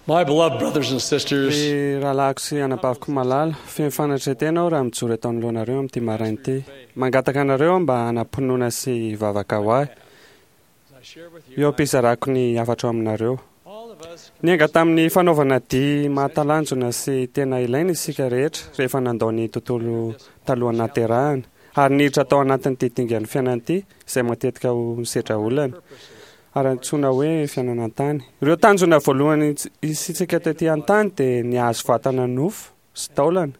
My beloved brothers and sisters, Ry rahalahiko sy anabaviko malala, feno fanetren-tena aho raha mijoro eto anoloanareo amin'ity maraina ity. Mangataka anareo aho mba hanam-pinoana sy hivavaka ho ahy, eo am-pizarako ny hafatro aminareo. Niainga tamin'ny fanaovana dihy mahatalanjona sy tena ilaina isika rehetra rehefa nandao ny tontolo talohan'ny nahaterahana, ary niditra tao anatin'ity dingan'ny fiainana ity izay matetika ho nisedra olana. ary antsoina hoe fiainana an-tany. Ireo tanjona voalohany isitsika tety an-tany dia ny hahazo vatana nofo sy taolana,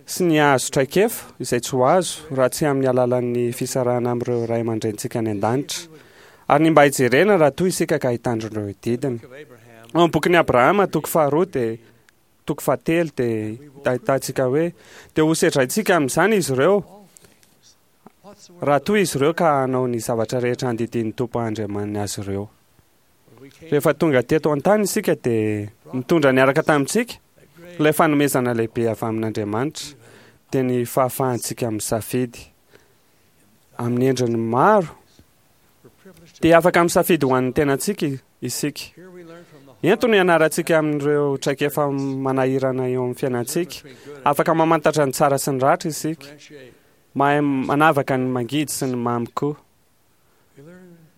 sy ny hahazo traikefa izay tsy ho azo raha tsy amin'ny alalan'ny fisarahana amin'ireo ray aman-drenintsika any an-danitra, ary ny mba hijerena raha toa isika ka hitandro ireo didiny. Ao amin'ny bokin'i Abrahama, toko faharoa dia toko fahatelo dia ahitantsika hoe dia hosedraintsika amin'izany izy ireo raha toa izy ireo ka hanao ny zavatra rehetra andidian'ny Tompo Andriamaniny azy ireo. Rehefa tonga teto an-tany isika dia nitondra niaraka tamintsika ilay fanomezana lehibe avy amin'Andriamanitra, dia ny fahafahantsika misafidy. Amin'ny endriny maro, dia afaka misafidy ho an'ny tenantsika isika. Ento no ianarantsika amin'ireo traikefa manahirana eo amin'ny fiainantsika. Afaka mamantatra ny tsara sy ny ratsy isika. Mahay manavaka ny mangidy sy ny mamy koa.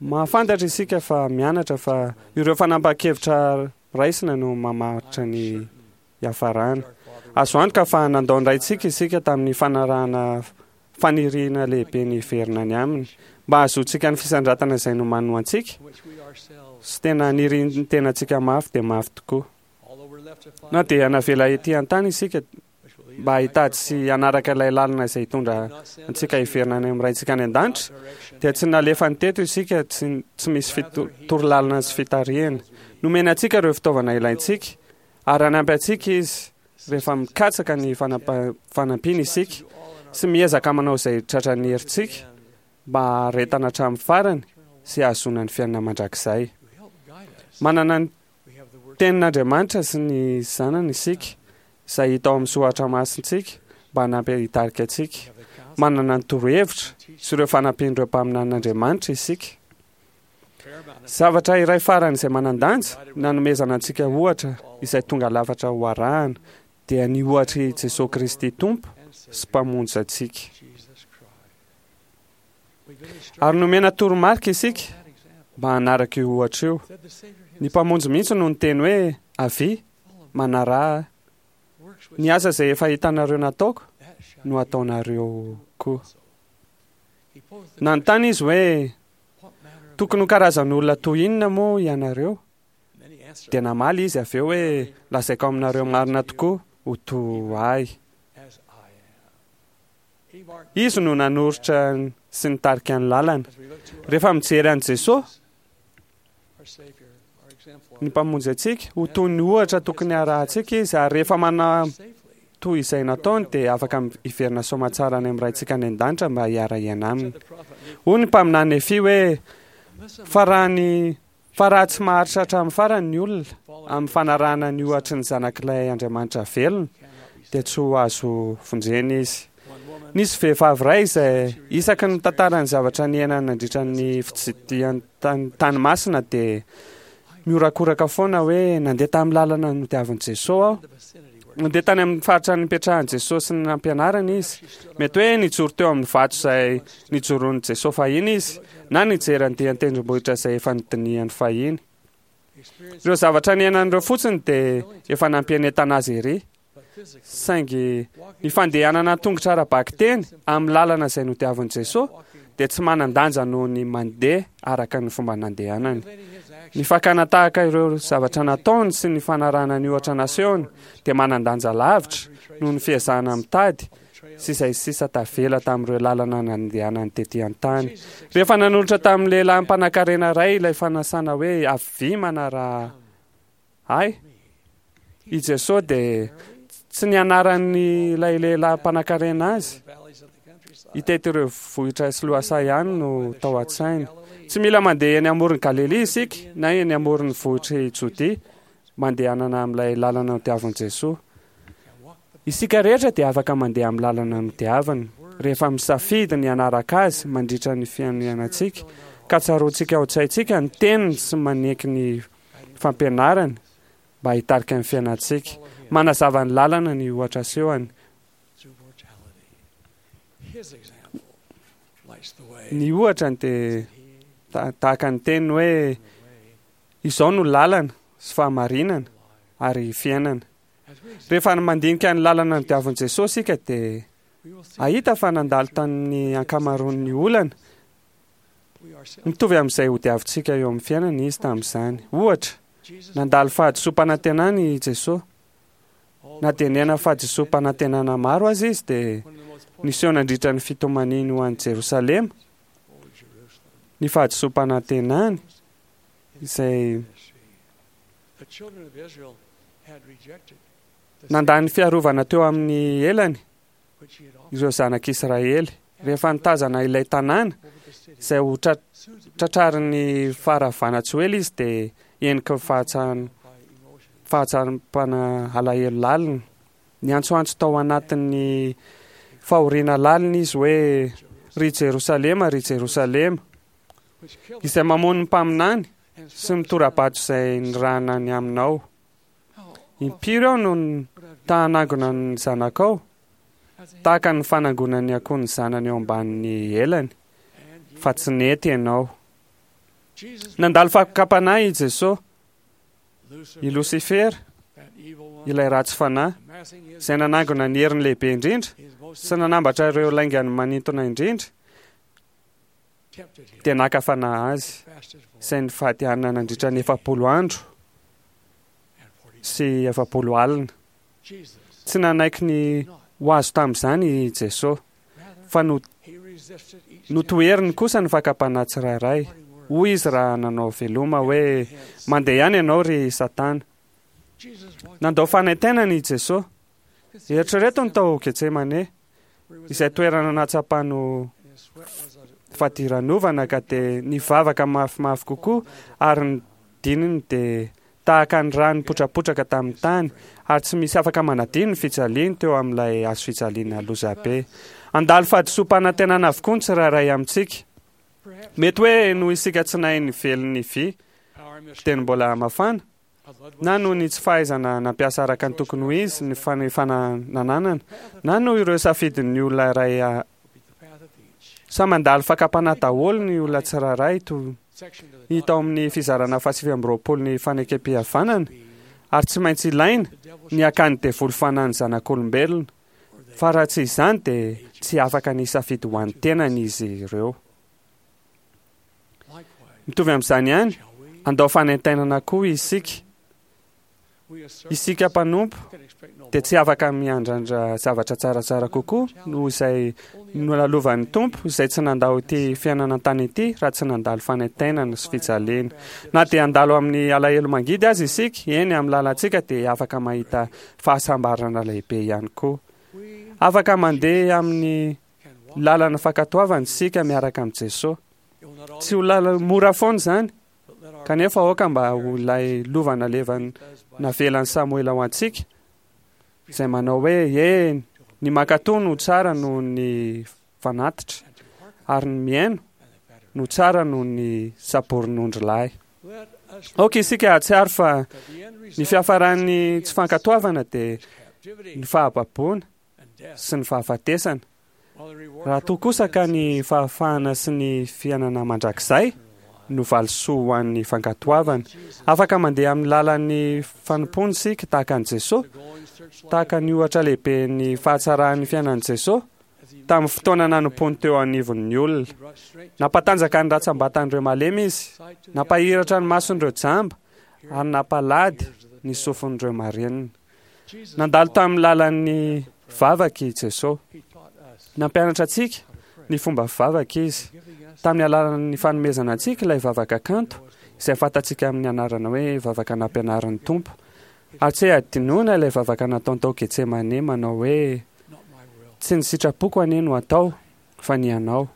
Mahafantatra isika fa mianatra fa ireo fanapahan-kevitra raisina no mamaritra ny hiafarana. Azo antoka fa nandao ny Raintsika isika tamin'ny fanarahana faniriana lehibe ny hiverina any Aminy, mba hahazoantsika ny fisandratana izay nomaniny ho antsika, sy tena nirin'ny tenantsika mafy dia mafy tokoa. Na dia navela ety an-tany isika, mba hitady sy hanaraka ilay lalana izay hitondra antsika hiverina any amin'ny Raintsika any an-danitra, dia tsy nalefany teto isika tsy, tsy misy torolalana sy fitarihana. Nomeny antsika ireo fitaovana ilaintsika, ary hanampy antsika Izy rehefa mikatsaka ny fanampiany isika sy miezaka manao izay tratran'ny herintsika mba haharetana hatramin'ny farany sy hahazoana ny fiainana mandrakizay. Manana ny Tenin'Andriamanitra sy ny Zanany isika, izay hita ao amin'ny soratra masintsika, mba hanampy hitarika antsika. Manana ny torohevitra sy ireo fanampian'ireo mpaminanin'Andriamanitra isika. Zavatra iray farany izay manan-danja nanomezana antsika ohatra izay tonga lafatra ho arahana dia ny ohatr'i Jesoa Kristy Tompo sy Mpamonjy antsika. Ary nomena toromarika isika mba hanaraka io ohatra io. Ny Mpamonjy mihitsy no niteny hoe, Avia, manaraha ahy. Ny asa izay efa hitanareo nataoko no hataonareo koa. Nanontany izy hoe, Tokony ho karazan'olona toy inona moa ianareo? Dia namaly izy avy eo hoe, Lazaiko aminareo marina tokoa, ho toa ahy. Izy no nanoritra sy nitarika ny lalana. Rehefa mijery an'i Jesoa, ny Mpamonjy antsika, ho toy ny ohatra tokony harahantsika Izy, ary rehefa manao toy izay nataony dia afaka hiverina soamatsara any amin'ny Raintsika any an-danitra mba hiara-hiaina Aminy. Hoy ny mpaminany Nefia hoe, Fa raha ny Fa raha tsy maharitra hatramin'ny farany ny olona, amin'ny fanarahana ny ohatry ny Zanak'ilay Andriamanitra velona, dia tsy ho azo vonjena izy. Nisy vehivavy iray izay isaky ny mitantara ny zavatra niainany nandritra ny fitsidihany tany tany masina dia mihorakoraka foana hoe nandeha tamin'ny lalana nodiavin'i Jesoa aho. Nandeha tany amin'ny faritra nipetrahan'i Jesoa sy ny nampianarany izy. Mety hoe nijoro teo amin'ny vato izay nijoroan'i Jesoa fahiny izy, na nijery andian-tendrombohitra izay efa nodinihany fahiny. Ireo zavatra niainany ireo fotsiny dia efa nampienetana azy ery. Saingy ny fandehanana an-tongotra ara-bakiteny amin'ny lalana izay nodiavin'i Jesoa dia tsy manan-danja noho ny mandeha araka ny fomba nandehanany. Ny fakana tahaka ireo zavatra nataony sy ny fanarahana ny ohatra nasehony dia manan-danja lavitra noho ny fiezahana mitady sy izay sisa tavela tamin'ireo lalana nandehanany tetỳ an-tany. Rehefa nanolotra tamin'ny lehilahy mpanankarena iray ilay fanasana hoe avia manaraha ahy, i Jesoa dia tsy nianaran'ilay lehilahy mpanankarena azy hitety ireo vohitra sy lohasaha ihany no tao an-tsainy. Tsy mila mandeha eny amoron'i Galilia isika na eny amoron'ny vohitr'i Jodia mandehanana amin'ilay lalana nodiavin'i Jesoa. Isika rehetra dia afaka mandeha amin'ny lalana nodiaviny rehefa misafidy ny hanaraka Azy mandritra ny fiainantsika, ka tsaroantsika ao an-tsaintsika ny teniny sy maneky ny. fampianarany mba hitarika ny fiainantsika. Manazava ny lalana ny ohatra asehony. Ny ohatrany dia tahaka ny teniny hoe izao no lalana sy fahamarinana ary fiainana. Rehefa mandinika ny lalana nodiavin'i Jesosy isika dia hahita fa nandalo tamin'ny ankamaroan'ny olana mitovy amin'izay hodiavintsika eo amin'ny fiainana izy tamin'izany. Ohatra, nandalo fahadisoam-panantenana i Jesosy. Na dia niaina fahadisoam-panantenana maro aza izy dia niseho nandritra ny fitomaniany ho an'i Jerosalema ny fahadisoam-panantenany izay nandà ny fiarovana teo amin'ny elany ireo zanak'Israely rehefa nitazana ilay tanàna izay ho tratrarin'ny faharavana tsy ho ela izy dia heniky ny fahatsapana alahelo lalina. Niantsoantso tao anatin'ny fahoriana lalina izy hoe, Ry Jerosalema, ry Jerosalema, izay mamono ny mpaminany sy mitora-bato izay nirahana ny aminao. Impiry aho no ta hanangona ny zanakao, tahaka ny fanangonan'ny akoho ny zanany eo ambanin'ny elany, fa tsy nety ianao. Nandalo fakam-panahy i Jesosy. I Losifera, ilay ratsy fanahy, izay nanangona ny heriny lehibe indrindra sy nanambatra ireo laingany manintona indrindra, dia naka fanahy azy, izay nifady hanina nandritra ny 40 andro sy 40 alina. Tsy nanaiky ny ho azo tamin'izany i Jesosy, fa notoheriny kosa ny fakam-panahy tsirairay. Hoy izy raha nanao veloma hoe, Mandeha ihany ianao, ry Satana. Nandao fanaintainana i Jesosy. Eritrereto ny tao Getsemane, izay toerana nahatsapany ho fadiranovana ka dia nivavaka mafimafy kokoa ary ny dininy dia tahaka ny rà nipotrapotraka tamin'ny tany, ary tsy misy afaka manadino ny fijaliany teo amin'ilay hazofijaliana lozabe. Handalo fahadisoam-panantenana avokoa ny tsirairay amintsika. Mety hoe noho isika tsy nahay nively ny vy dieny mbola mafana, na noho ny tsy fahaizana nampiasa araka ny tokony ho izy ny fanefana nananana, na noho ireo safidin'ny olona iray Samy mandalo fakam-panahy daholo ny olona tsirairay toy hita ao amin'ny fizarana faha-29 ny fanekem-pihavanana, ary tsy maintsy ilaina ny hakan'ny devoly fanahy ny zanak'olombelona, fa raha tsy izany dia tsy afaka ny hisafidy ho an'ny tenany izy ireo. Mitovy amin'izany ihany, handao fanaintainana koa isika. Isika mpanompo dia tsy afaka miandrandra zavatra tsaratsara kokoa noho izay nolalovan'ny Tompo, izay tsy nandao ity fiainana an-tany ity raha tsy nandalo fanaintainana sy fijaliana. Na dia handalo amin'ny alahelo mangidy aza isika, eny, amin'ny lalantsika dia afaka mahita fahasambarana lehibe ihany koa. Afaka mandeha amin'ny lalana fankatoavana isika miaraka amin'i Jesoa. Tsy ho lalana mora foana izany, Kanefa aoka mba ho ilay lova nalevan'ny navelan'i Samoela ho antsika, izay manao hoe, Eny, ny mankatò no tsara noho ny fanatitra, ary ny mihaino no tsara noho ny saborin'ondrilahy. Aoka isika hahatsiaro fa ny fiafaran'ny tsy fankatoavana dia ny fahababoana sy ny fahafatesana. Raha toa kosa ka ny fahafahana sy ny fiainana mandrakizay no valisoa ho an'ny fankatoavana, afaka mandeha amin'ny lalan'ny fanompoana isika tahaka an'i Jesoa, tahaka ny ohatra lehiben'ny fahatsaran'ny fiainan'i Jesoa tamin'ny fotoana nanompoany teo anivon'ny olona. Nampatanjaka ny ratsambatan'ireo malemy Izy, nampahiratra ny mason'ireo jamba, ary nampalady ny sofin'ireo marenina. Nandalo tamin'ny lalan'ny vavaka i Jesoa. Nampianatra antsika ny fomba fivavaka Izy, tamin'ny alalan'ny fanomezana antsika ilay vavaka kanto, izay fantatsika amin'ny anarana hoe Vavaka Nampianarin'ny Tompo. Ary tsy hadinoina ilay vavaka nataony tao Getsemane manao hoe, Tsy ny sitrapoko anie no atao, fa ny Anao.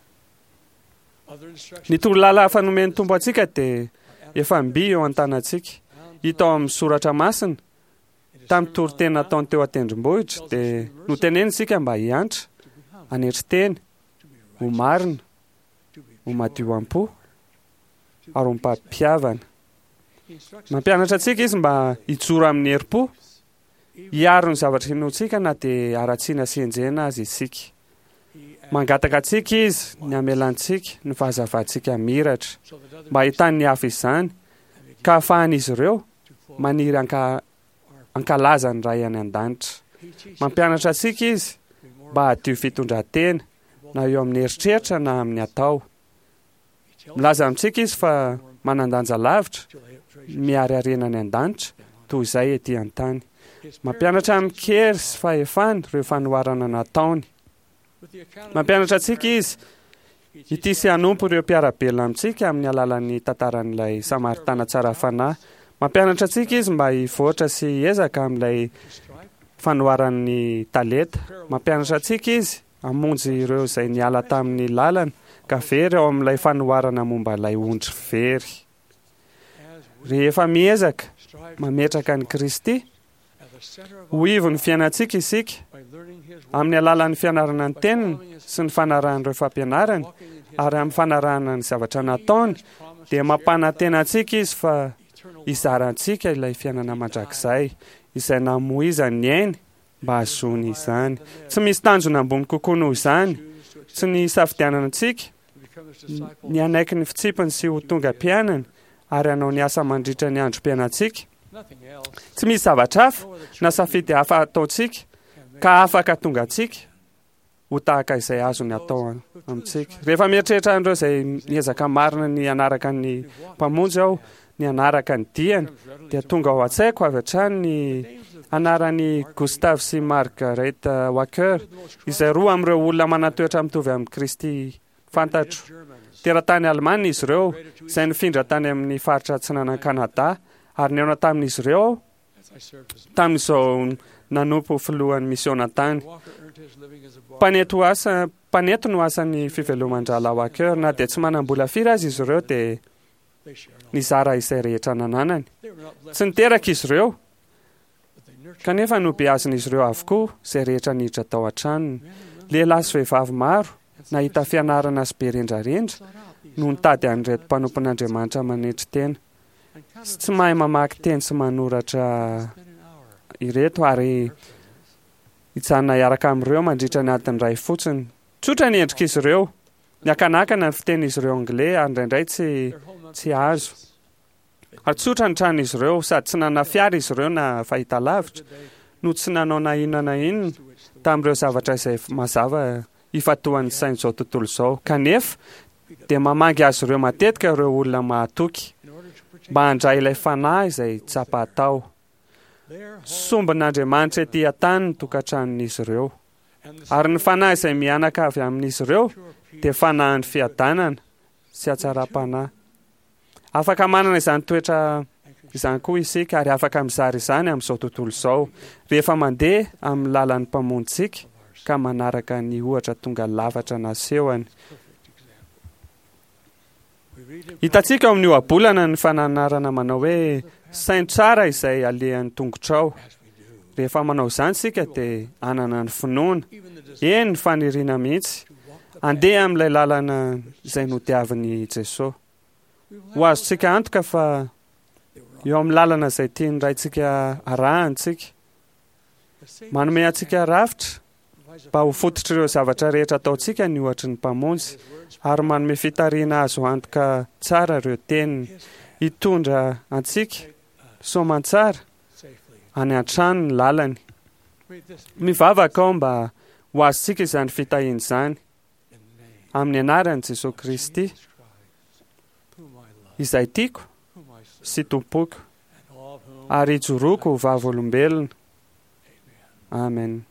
Ny torolala hafa nomen'ny Tompo antsika dia efa mby eo an-tanantsika. Hita ao amin'ny Soratra Masina, Tamin'ny toriteny nataony teo an-tendrombohitra, dia noteneniny isika mba hiantra, hanetry tena, ho marina, ho madio am-po, ary ho mpampihavana. Mampianatra antsika izy mba hijoro amin'ny herim-po, hiaro ny zavatra inoantsika na dia haratsiana sy enjehina aza isika. Mangataka antsika izy ny hamelantsika ny fahazavantsika miratra, mba hahitan'ny hafa izany, ka hahafahan'izy ireo maniry hanka hankalaza ny Ray any An-danitra. Mampianatra antsika izy mba hadio fitondran-tena, na eo amin'ny eritreritra na amin'ny atao. Milaza amintsika izy fa manan-danja lavitra ny mihary harena any an-danitra toy izay ety an-tany. Mampianatra amin-kery sy fahefana ireo fanoharana nataony. Mampianatra antsika izy hitia sy hanompo ireo mpiara-belona amintsika amin'ny alalan'ny tantaran'ilay Samaritana tsara fanahy. Mampianatra antsika izy mba hivoatra sy hiezaka amin'ilay fanoharan'ny talenta. Mampianatra antsika izy hamonjy ireo izay niala tamin'ny lalana ka very ao amin'ilay fanoharana momba ilay ondry very. Rehefa miezaka mametraka an'i Kristy ho ivon'ny fiainantsika isika, amin'ny alalan'ny fianarana ny Teniny sy ny fanarahana ireo fampianarany ary amin'ny fanarahana ny zavatra nataony, dia mampanantena antsika Izy fa hizara antsika ilay fiainana mandrakizay, izay namoizany ny ainy mba hahazoany izany. Tsy misy tanjona ambony kokoa noho izany, tsy ny hisafidianana antsika ny hanaiky ny fitsipiny sy ho tonga mpianany ary hanao ny asa mandritra ny androm-piainantsika. Tsy misy zavatra hafa na safidy hafa ataontsika ka afaka tonga antsika ho tahaka izay azony atao amintsika. Rehefa mieritreritra an'ireo izay miezaka marina ny hanaraka ny Mpamonjy aho, ny hanaraka ny diany, dia tonga ao an-tsaiko avy hatrany ny anaran'i Gustav sy Margaret Wacker, izay roa amin'ireo olona manan-toetra mitovy amin'i Kristy fantatro. Teratany alemana izy ireo, izay nifindra tany amin'ny faritra atsinanan'i Kanada, ary nihaona tamin'izy ireo aho tamin'izao nanompo ho filohan'ny misiona tany. Mpanety ho asa, mpanety no asan'ny fiveloman-drahalahy Wacker. Na dia tsy manam-bola firy aza izy ireo dia nizara izay rehetra nananany. Tsy niteraka izy ireo, kanefa nobeazin'izy ireo avokoa izay rehetra niditra tao an-tranony. Lehilahy sy vehivavy maro nahita fianarana sy be rendrarendra no nitady an'ireto mpanompon'Andriamanitra manetry tena sy tsy mahay mamaky teny sy manoratra ireto ary hijanona hiaraka amin'ireo mandritra ny adiny iray fotsiny. Tsotra ny endrik'izy ireo. Niakanakana ny fitenin'izy ireo anglais ary indraindray tsy tsy azo. Ary tsotra ny tranon'izy ireo, sady tsy nanana fiara izy ireo na fahitalavitra, no tsy nanao na inona na inona tamin'ireo zavatra izay mazava ifantohan'ny sain'izao tontolo izao. Kanefa, dia mamangy azy ireo matetika ireo olona mahatoky, mba handray ilay fanahy izay tsapa tao. Sombin'Andriamanitra ety an-tany ny tokantranon'izy ireo. Ary ny fanahy izay mihanaka avy amin'izy ireo dia fanahin'ny fiadanana sy hatsaram-panahy. Afaka manana izany toetra izany koa isika ary afaka mizara izany amin'izao tontolo izao rehefa mandeha amin'ny lalan'ny Mpamonjintsika ka manaraka ny ohatra tonga lafatra nasehony. Hitantsika ao amin'ny ohabolana ny fananarana manao hoe saino tsara izay alehan'ny tongotrao. Rehefa manao izany isika dia hanana ny finoana, eny ny faniriana mihitsy, handeha amin'ilay lalana izay nodiavin'i Jesosy. Ho azontsika antoka fa eo amin'ny lalana izay tian'ny Raintsika arahana isika. Manome antsika rafitra mba ho fototr'ireo zavatra rehetra ataontsika ny ohatry ny Mpamonjy, ary manome fitarihana azo antoka tsara ireo teniny, hitondra antsika soamantsara any an-trano ny lalany. Mivavaka aho mba ho azontsika izany fitahiana izany, amin'ny anaran'i Jesoa Kristy, izay tiako sy tompoiko, ary ijoroako ho vavolombelona. Amen.